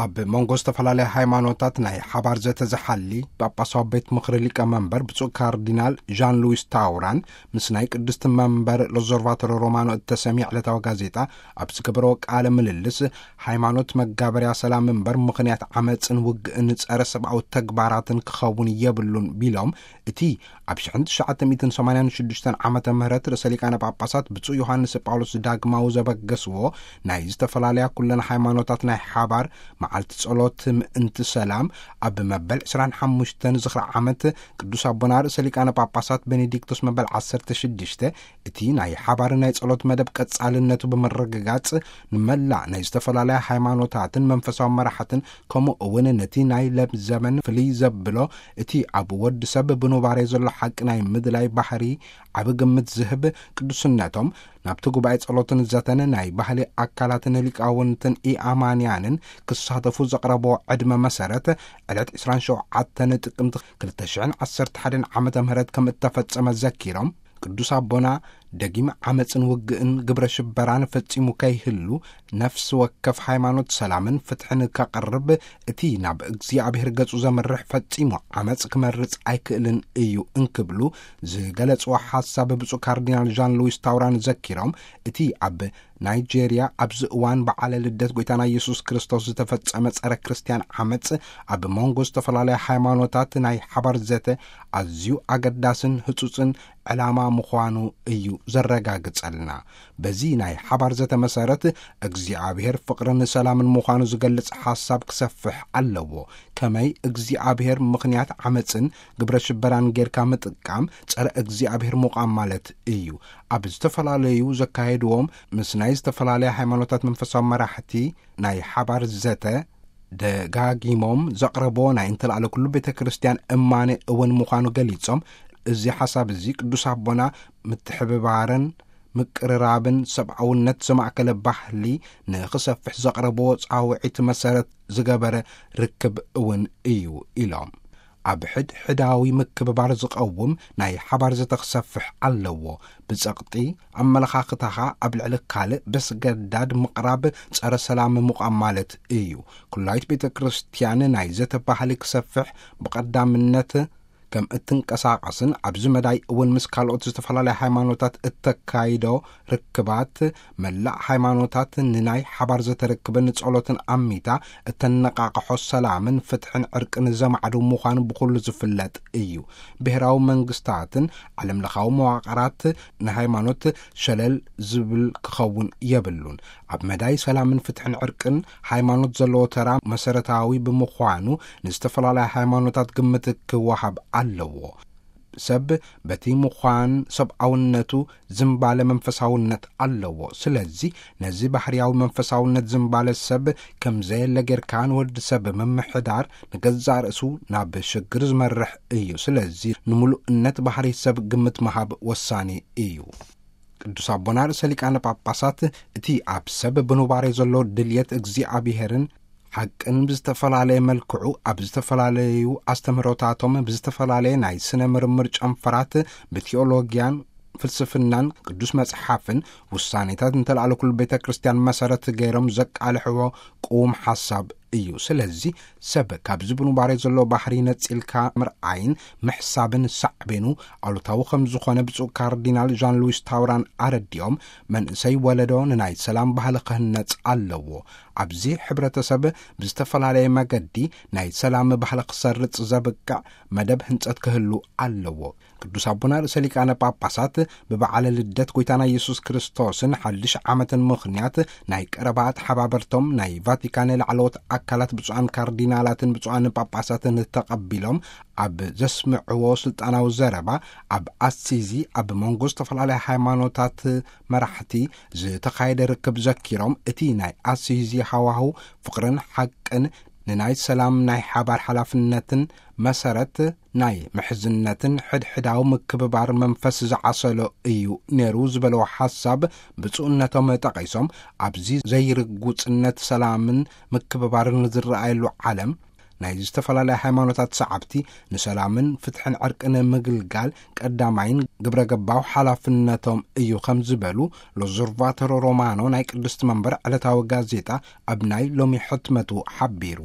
ኣብ መንጎ ዝተፈላለያ ሃይማኖታት ናይ ሓባር ዘተ ዝሓሊ ጳጳሳዊ ቤት ምኽሪ ሊቀ መንበር ብፁዕ ካርዲናል ዣን ሉዊስ ታውራን ምስ ናይ ቅድስቲ መንበር ሎዞርቫቶሮ ሮማኖ እተሰምየ ዕለታዊ ጋዜጣ ኣብ ዝገበረዎ ቃለ ምልልስ፣ ሃይማኖት መጋበርያ ሰላም እምበር ምኽንያት ዓመፅን ውግእን ጸረ ሰብኣዊ ተግባራትን ክኸውን የብሉን ቢሎም፣ እቲ ኣብ ሽሕን ትሽዓተ ሚእትን ሰማንያን ሽዱሽተን ዓመተ ምህረት ርእሰ ሊቃነ ጳጳሳት ብፁዕ ዮሃንስ ጳውሎስ ዳግማዊ ዘበገስዎ ናይ ዝተፈላለያ ኩለን ሃይማኖታት ናይ ሓባር መዓልቲ ጸሎት ምእንቲ ሰላም ኣብ መበል ዕስራን ሓሙሽተን ዝኽሪ ዓመት ቅዱስ ኣቦና ርእሰ ሊቃነ ጳጳሳት ቤኔዲክቶስ መበል ዓሰርተ ሽዱሽተ እቲ ናይ ሓባር ናይ ጸሎት መደብ ቀጻልነቱ ብምርግጋጽ፣ ንመላእ ናይ ዝተፈላለያ ሃይማኖታትን መንፈሳዊ መራሕትን ከምኡ እውን ነቲ ናይ ለም ዘመን ፍልይ ዘብሎ እቲ ኣብ ወዲ ሰብ ብኑባሬ ዘሎ ሓቂ ናይ ምድላይ ባህሪ ዓቢ ግምት ዝህብ ቅዱስነቶም ናብቲ ጉባኤ ጸሎትን ዘተን ናይ ባህሊ ኣካላትን ሊቃውንትን ኢኣማንያንን ክሳተፉ ዘቕረብዎ ዕድመ መሰረት ዕለት ዕስራን ሸውዓተን ጥቅምቲ ክልተ ሽሕን ዓሰርተ ሓደን ዓመተ ምህረት ከም እተፈጸመ ዘኪሮም፣ ቅዱስ ኣቦና ደጊም ዓመፅን ውግእን ግብረ ሽበራን ፈጺሙ ከይህሉ፣ ነፍሲ ወከፍ ሃይማኖት ሰላምን ፍትሕን ከቕርብ፣ እቲ ናብ እግዚኣብሔር ገጹ ዘምርሕ ፈጺሙ ዓመፅ ክመርጽ ኣይክእልን እዩ እንክብሉ ዝገለጽዎ ሓሳብ ብፁዕ ካርዲናል ዣን ሉዊስ ታውራን ዘኪሮም፣ እቲ ኣብ ናይጄርያ ኣብዚ እዋን በዓለ ልደት ጐይታና ኢየሱስ ክርስቶስ ዝተፈጸመ ጸረ ክርስትያን ዓመጽ ኣብ መንጎ ዝተፈላለያ ሃይማኖታት ናይ ሓባር ዘተ ኣዝዩ ኣገዳስን ህጹጽን ዕላማ ምዃኑ እዩ ዘረጋግጸልና። በዚ ናይ ሓባር ዘተ መሰረት እግዚኣብሔር ፍቕርን ሰላምን ምዃኑ ዝገልጽ ሓሳብ ክሰፍሕ ኣለዎ። ከመይ እግዚኣብሔር ምኽንያት ዓመጽን ግብረ ሽበራን ጌርካ ምጥቃም ጸረ እግዚኣብሔር ምዃም ማለት እዩ። ኣብ ዝተፈላለዩ ዘካየድዎም ምስ ናይ ዝተፈላለያ ሃይማኖታት መንፈሳዊ መራሕቲ ናይ ሓባር ዘተ ደጋጊሞም ዘቕረቦ ናይ እንተላዕለ ኩሉ ቤተ ክርስቲያን እማኔ እውን ምዃኑ ገሊጾም፣ እዚ ሓሳብ እዚ ቅዱስ ኣቦና ምትሕብባርን ምቅርራብን ሰብኣውነት ዘማእከለ ባህሊ ንኽሰፍሕ ዘቕረብዎ ጻውዒት መሰረት ዝገበረ ርክብ እውን እዩ ኢሎም። ኣብ ሕድሕዳዊ ምክብባር ዝቐውም ናይ ሓባር ዘተ ክሰፍሕ ኣለዎ። ብጸቕጢ ኣመለኻኽታኻ ኣብ ልዕሊ ካልእ በስገዳድ ምቕራብ ጸረ ሰላም ምዃም ማለት እዩ። ኩላይት ቤተ ክርስቲያን ናይ ዘተ ባህሊ ክሰፍሕ ብቐዳምነት ከም እትንቀሳቐስን ኣብዚ መዳይ እውን ምስ ካልኦት ዝተፈላለያ ሃይማኖታት እተካይዶ ርክባት፣ መላእ ሃይማኖታት ንናይ ሓባር ዘተ ርክብን ጸሎትን ኣሚታ እተነቃቕሖ ሰላምን ፍትሕን ዕርቅን ዘማዕዱ ምዃኑ ብኹሉ ዝፍለጥ እዩ። ብሄራዊ መንግስታትን ዓለምለኻዊ መዋቕራት ንሃይማኖት ሸለል ዝብል ክኸውን የብሉን። ኣብ መዳይ ሰላምን ፍትሕን ዕርቅን ሃይማኖት ዘለዎ ተራ መሰረታዊ ብምዃኑ ንዝተፈላለያ ሃይማኖታት ግምት ክወሃብ ኣለዎ። ሰብ በቲ ምዃን ሰብኣውነቱ ዝምባለ መንፈሳውነት ኣለዎ። ስለዚ ነዚ ባህርያዊ መንፈሳውነት ዝምባለ ሰብ ከም ዘየለ ጌርካ ንወዲ ሰብ ምምሕዳር ንገዛእ ርእሱ ናብ ሽግር ዝመርሕ እዩ። ስለዚ ንምሉእነት ባህሪ ሰብ ግምት ምሃብ ወሳኒ እዩ። ቅዱስ ኣቦና ርእሰ ሊቃነ ጳጳሳት እቲ ኣብ ሰብ ብኑባሬ ዘሎ ድልየት እግዚኣብሔርን ሓቅን ብዝተፈላለየ መልክዑ ኣብ ዝተፈላለዩ ኣስተምህሮታቶም ብዝተፈላለየ ናይ ስነ ምርምር ጨንፈራት ብቴዎሎጊያን ፍልስፍናን ቅዱስ መጽሓፍን ውሳኔታት እንተለኣለ ኩሉ ቤተ ክርስቲያን መሰረት ገይሮም ዘቃልሕዎ ቅዉም ሓሳብ እዩ። ስለዚ ሰብ ካብዚ ብኑባሬ ዘሎ ባህሪ ነጺልካ ምርኣይን ምሕሳብን ሳዕቤኑ ኣሉታዊ ከም ዝኾነ ብፁዕ ካርዲናል ዣን ሉዊስ ታውራን ኣረዲኦም፣ መንእሰይ ወለዶ ንናይ ሰላም ባህሊ ክህነጽ ኣለዎ። ኣብዚ ሕብረተሰብ ብዝተፈላለየ መገዲ ናይ ሰላም ባህሊ ክሰርጽ ዘብቅዕ መደብ ህንጸት ክህሉ ኣለዎ። ቅዱስ ኣቦና ርእሰ ሊቃነ ጳጳሳት ብበዓለ ልደት ጐይታና ኢየሱስ ክርስቶስን ሓድሽ ዓመትን ምኽንያት ናይ ቀረባ ተሓባበርቶም ናይ ቫቲካን ላዕለዎት ኣካላት ብፁዓን ካርዲናላትን ብፁዓን ጳጳሳትን ተቐቢሎም ኣብ ዘስምዕዎ ስልጣናዊ ዘረባ፣ ኣብ ኣሲዚ ኣብ መንጎ ዝተፈላለያ ሃይማኖታት መራሕቲ ዝተኻየደ ርክብ ዘኪሮም፣ እቲ ናይ ኣሲዚ ሃዋህው ፍቕርን ሓቅን ንናይ ሰላም ናይ ሓባር ሓላፍነትን መሰረት ናይ ምሕዝነትን ሕድሕዳዊ ምክብባር መንፈስ ዝዓሰሎ እዩ ነይሩ ዝበለዎ ሓሳብ፣ ብፁዕነቶም ጠቒሶም፣ ኣብዚ ዘይርጉጽነት ሰላምን ምክብባርን ዝረኣየሉ ዓለም ናይ ዝተፈላለያ ሃይማኖታት ሰዓብቲ ንሰላምን ፍትሕን ዕርቅን ምግልጋል ቀዳማይን ግብረ ገባው ሓላፍነቶም እዩ ከም ዝበሉ ሎዞርቫተሮ ሮማኖ ናይ ቅድስቲ መንበር ዕለታዊ ጋዜጣ ኣብ ናይ ሎሚ ሕትመቱ ሓቢሩ።